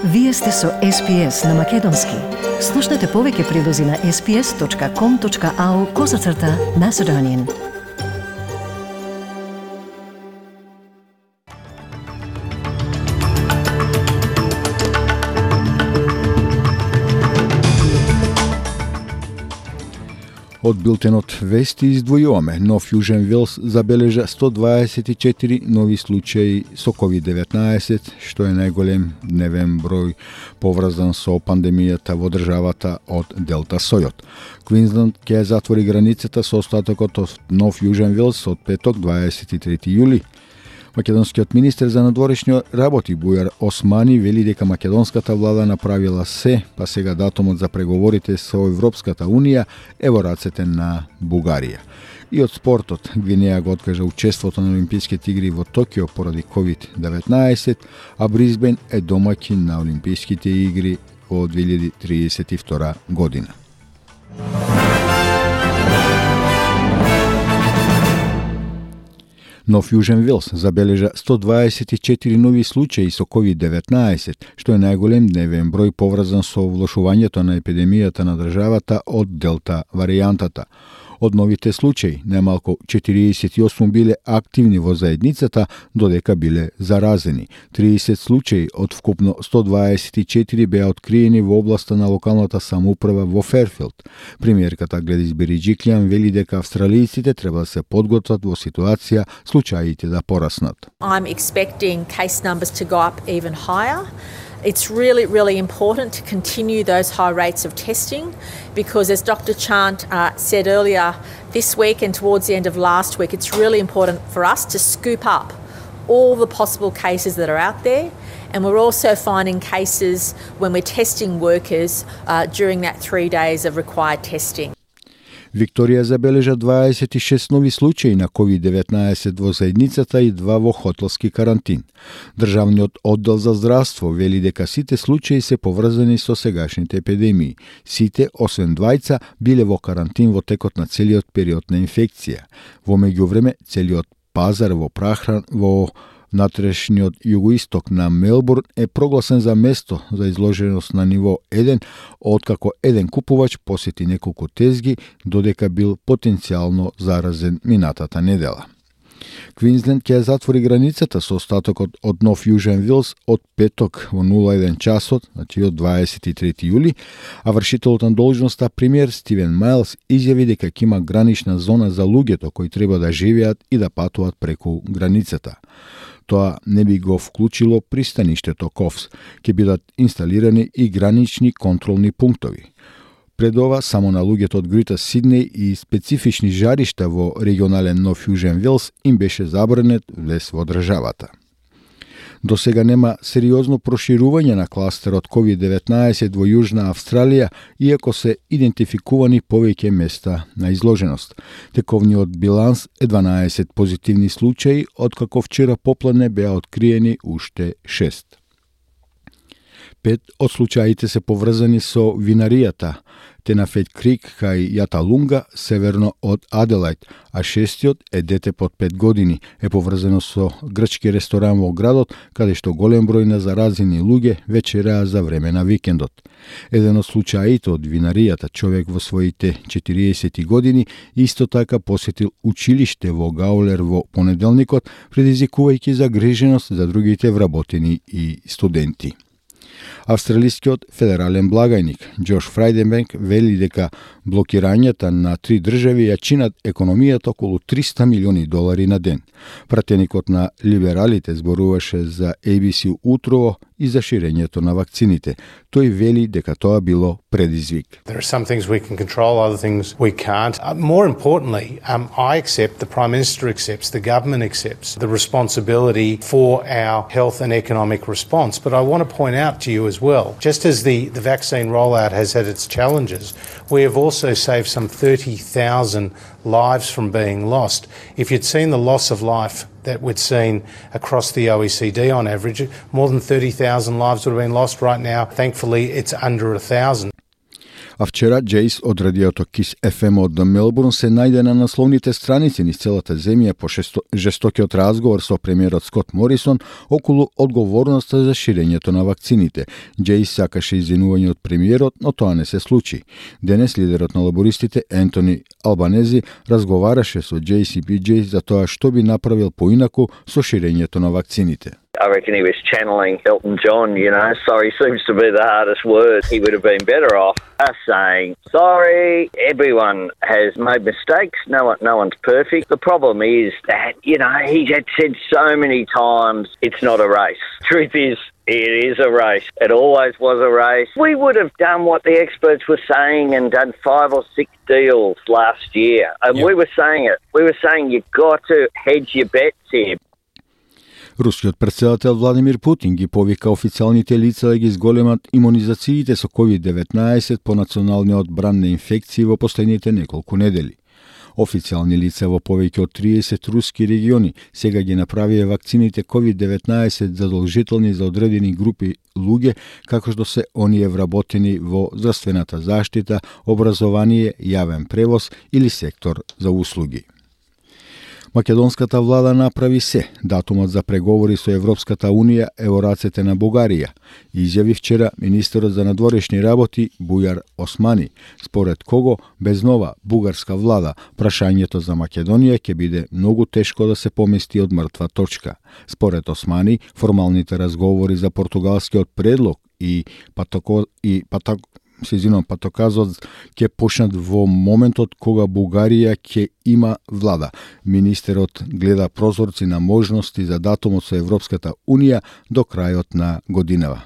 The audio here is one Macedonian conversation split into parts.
Вие сте со SPS на Македонски. Слушнете повеќе прилози на sps.com.au/Macedonian. Од билтенот вести издвојуваме. Нов Јужен Велс забележа 124 нови случаи со COVID-19, што е најголем дневен број поврзан со пандемијата во државата од Делта сојот. Квинсленд ќе затвори границата со остатокот од Нов Јужен Велс од петок 23 јули. Македонскиот министер за надворешни работи Бујар Османи вели дека македонската влада направила се, па сега датумот за преговорите со Европската унија е во рацете на Бугарија. И од спортот, Гвинеја го откажа учеството на Олимписките игри во Токио поради COVID-19, а Брисбен е домаќин на Олимписките игри во 2032 година. Нов Јужен Велс забележа 124 нови случаи со COVID-19, што е најголем дневен број поврзан со влошувањето на епидемијата на државата од Делта варијантата. Од новите случаи, најмалку 48 биле активни во заедницата, додека биле заразени. 30 случаи од вкупно 124 беа откриени во областа на локалната самоуправа во Ферфилд. Премиерката Гледис Бериџиклијан вели дека австралијците треба да се подготват во ситуација случаите да пораснат. I'm expecting case numbers to go up even higher. It's really important to continue those high rates of testing because, as Dr. Chant said earlier this week and towards the end of last week, it's really important for us to scoop up all the possible cases that are out there. And we're also finding cases when we're testing workers during that 3 days of required testing. Викторија забележа 26 нови случаи на COVID-19 во заедницата и 2 во хотелски карантин. Државниот оддел за здравство вели дека сите случаи се поврзани со сегашните епидемии. Сите, освен двајца, биле во карантин во текот на целиот период на инфекција. Во меѓувреме, целиот пазар во прахран во натрешниот југоисток на Мелбурн е прогласен за место за изложеност на ниво 1, откако еден купувач посети неколку тезги, додека бил потенцијално заразен минатата недела. Квинсленд ќе затвори границата со остатокот од Нов Јужен Велс од петок во 01 часот, значи од 23 јули, а вршителот на должноста премиер Стивен Мајлс изјави дека ќе има гранична зона за луѓето кои треба да живеат и да патуваат преку границата. Тоа не би го вклучило пристаништето Ковс. Ќе бидат инсталирани и гранични контролни пунктови. Пред ова, само на луѓето од Грита Сиднеј и специфични жаришта во регионален Нов Јужен Велс им беше забранет влез во државата. До сега нема сериозно проширување на кластерот COVID-19 во Јужна Австралија, иако се идентификувани повеќе места на изложеност. Тековниот биланс е 12 позитивни случаи, откако вчера попладне беа откриени уште 6. 5 од случаите се поврзани со винаријата Тенафет Крик кај Јаталунга, северно од Аделајд, а 6-тиот е дете под 5 години, е поврзано со грчки ресторан во градот, каде што голем број на заразени луѓе вечераа за време на викендот. Еден од случаите од винаријата, човек во своите 40 години, исто така посетил училиште во Гаулер во понеделникот, предизвикувајќи загриженост за другите вработени и студенти. Австралискиот федерален благајник Џош Фрајденбенк вели дека блокирањата на 3 држави ја чинат економијата околу $300 милиони на ден. Пратеникот на либералите зборуваше за ABC утрово и за ширењето на вакцините. Тој вели дека тоа било предизвик. There are some things we can control, other things we can't. More importantly, I accept, the Prime Minister accepts, the government accepts the responsibility for our health and economic response. But I want to point out to you as well, just as the vaccine rollout has had its challenges, we have also saved some 30,000 lives from being lost. If you'd seen the loss of life that we'd seen across the OECD on average, more than 30,000 lives would have been lost right now. Thankfully, it's under 1,000. А вчера Джейс од радиото Kiss FM од Мелбурн се најде на насловните страници низ целата земја по жестокиот разговор со премиерот Скот Морисон околу одговорноста за ширењето на вакцините. Джейс сакаше извинување од премиерот, но тоа не се случи. Денес лидерот на лабористите Ентони Албанези разговараше со JCBJ за тоа што би направил поинаку со ширењето на вакцините. I reckon he was channeling Elton John, sorry seems to be the hardest word. He would have been better off us saying, sorry, everyone has made mistakes, no one's perfect. The problem is that, he's had said so many times, it's not a race. Truth is, it is a race. It always was a race. We would have done what the experts were saying and done 5 or 6 deals last year. And we were saying it. We were saying you've got to hedge your bets here. Рускиот претседател Владимир Путин ги повика официјалните лица да ги зголемат имунизациите со COVID-19 по националниот бран на инфекции во последните неколку недели. Официјални лица во повеќе од 30 руски региони сега ги направија вакцините COVID-19 задолжителни за одредени групи луѓе, како што се оние вработени во здравствената заштита, образование, јавен превоз или сектор за услуги. Македонската влада направи се. Датумот за преговори со Европската Унија е во рацете на Бугарија, изјави вчера министерот за надворешни работи Бујар Османи, според кого без нова бугарска влада прашањето за Македонија ќе биде многу тешко да се помести од мртва точка. Според Османи, формалните разговори за португалскиот предлог и патоказот ќе почнат во моментот кога Бугарија ќе има влада. Министерот гледа прозорци на можности за датумот со Европската Унија до крајот на годинава.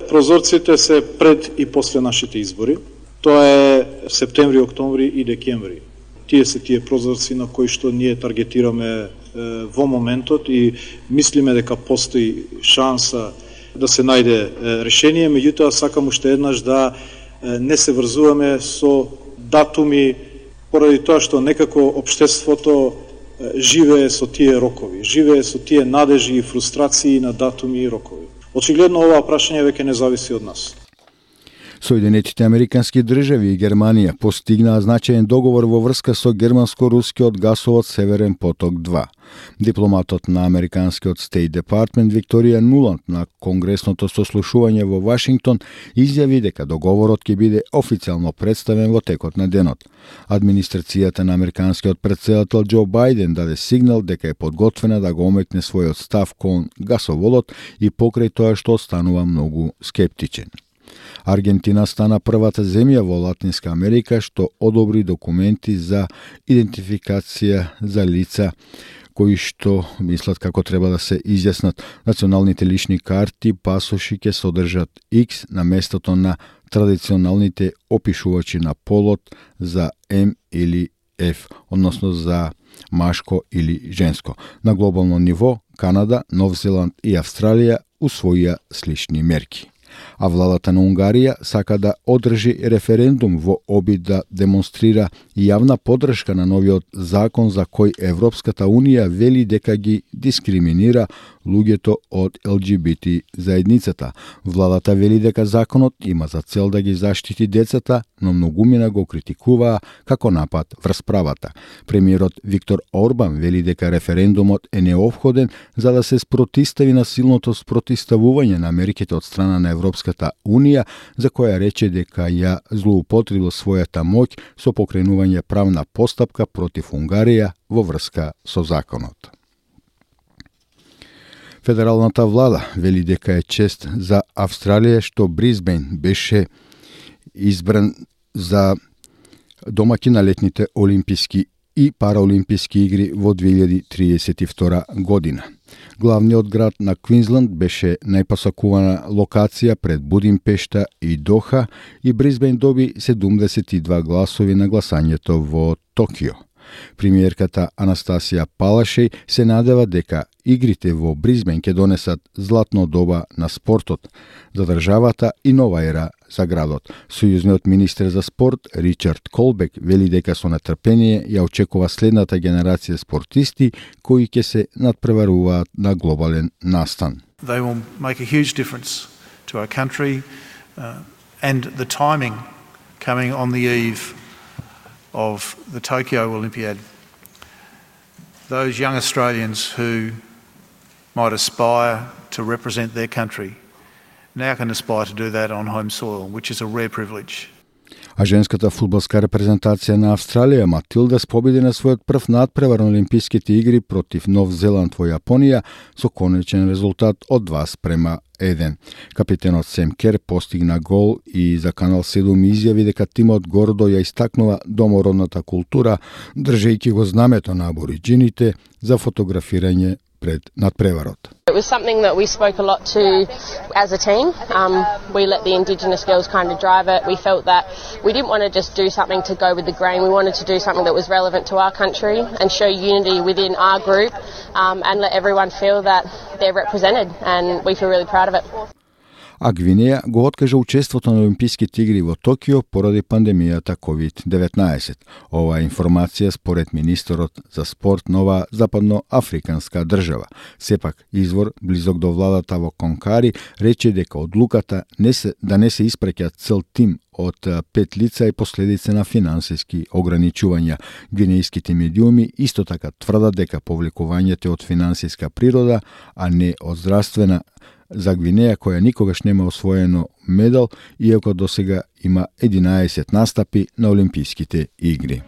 Прозорците се пред и после нашите избори. Тоа е септември, октомври и декември. Тие се тие прозорци на кои што ние таргетираме во моментот и мислиме дека постои шанса да се најде решение, меѓутоа сакам уште еднаш да не се врзуваме со датуми поради тоа што некако општеството живее со тие рокови, живее со тие надежи и фрустрации на датуми и рокови. Очигледно ова прашање веќе не зависи од нас. Соединетите Американски држави и Германија постигнаа значаен договор во врска со германско-рускиот гасовод Северен поток 2. Дипломатот на Американскиот State Department Викторија Нуланд на конгресното сослушување во Вашингтон изјави дека договорот ќе биде официјално представен во текот на денот. Администрацијата на американскиот претседател Џо Бајден даде сигнал дека е подготвена да го омекне својот став кон гасоводот и покрај тоа што станува многу скептичен. Аргентина стана првата земја во Латинска Америка што одобри документи за идентификација за лица кои што мислат како треба да се изјаснат. Националните лични карти, пасоши ќе содржат X на местото на традиционалните опишувачи на полот за М или F, односно за машко или женско. На глобално ниво, Канада, Нов Зеланд и Австралија усвоија слични мерки. А владата на Унгарија сака да одржи референдум во обид да демонстрира јавна поддршка на новиот закон за кој Европската Унија вели дека ги дискриминира луѓето од ЛГБТ заедницата. Владата вели дека законот има за цел да ги заштити децата, но многумина го критикуваа како напад врз правата. Премиерот Виктор Орбан вели дека референдумот е неопходен за да се спротистави на силното спротиставување на мерките од страна на Европската Унија, за која рече дека ја злоупотребил својата моќ со покренување правна постапка против Унгарија во врска со законот. Федералната влада вели дека е чест за Австралија што Брисбен беше избран за домаќин на летните олимписки и параолимписки игри во 2032 година. Главниот град на Квинсланд беше најпосакувана локација пред Будимпешта и Доха и Брисбен доби 72 гласови на гласањето во Токио. Премиерката Анастасија Палашеј се надева дека игрите во Брисбен ќе донесат златно доба на спортот за државата и нова ера за градот. Сојузниот министер за спорт Ричард Колбек вели дека со нетрпение ја очекува следната генерација спортисти кои ќе се надпреваруваат на глобален настан. They will make a huge difference to our country And the timing coming on the eve of the Tokyo Olympiad, those young Australians who might aspire to represent their country now can aspire to do that on home soil, which is a rare privilege. А женската фудбалска репрезентација на Австралија Матилдас победи на својот прв надпревар на Олимписките игри против Нов Зеланд во Јапонија со конечен резултат од 2:1. Капитенот Сем Кер постигна гол и за Канал 7 изјави дека тимот гордо ја истакнува домородната култура, држејќи го знамето на абориџините за фотографирање пред надпреварот. It was something that we spoke a lot to as a team. We let the Indigenous girls kind of drive it. We felt that we didn't want to just do something to go with the grain. We wanted to do something that was relevant to our country and show unity within our group and let everyone feel that they're represented, and we feel really proud of it. А Гвинеја го откажа учеството на Олимписките игри во Токио поради пандемијата COVID-19. Ова информација според министерот за спорт на оваа западноафриканска држава. Сепак, извор близок до владата во Конкари рече дека одлуката да не се испраќа цел тим од 5 лица и последица на финансиски ограничувања. Гвинејските медиуми исто така тврдат дека повлекувањето од финансиска природа, а не од здравствена, за Гвинеја, која никогаш нема освоено медал, иако досега има 11 настапи на Олимписките игри.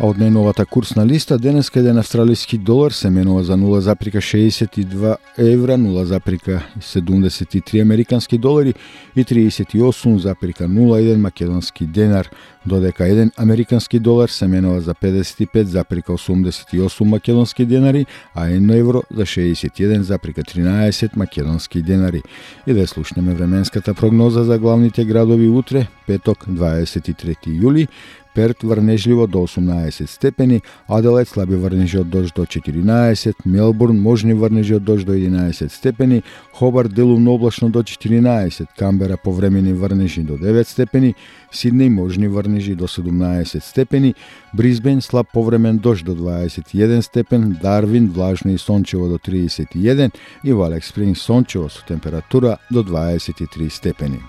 А од најновата курсна листа, денеска еден австралиски долар се менува за 0,62 евра, 0,73 американски долари и 38,01 македонски денар, додека еден американски долар се менува за 55,88 македонски денари, а 1 евро за 61,13 македонски денари. И да слушнеме временската прогноза за главните градови утре, петок 23 јули, Перт врнежливо до 18 степени, Аделаид слаби врнежи од дожд до 14, Мелбурн можни врнежи од дожд до 11 степени, Хобарт делумно облачно до 14, Камбера повремени врнежи до 9 степени, Сиднеј можни врнежи до 17 степени, Брисбен слаб повремен дожд до 21 степен, Дарвин влажно и сончево до 31 и во Алекс Спрингс сончево со температура до 23 степени.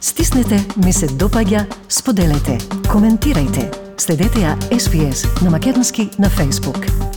Стиснете, ми се допаѓа, споделете, коментирајте. Следете ја SPS на Македонски на Facebook.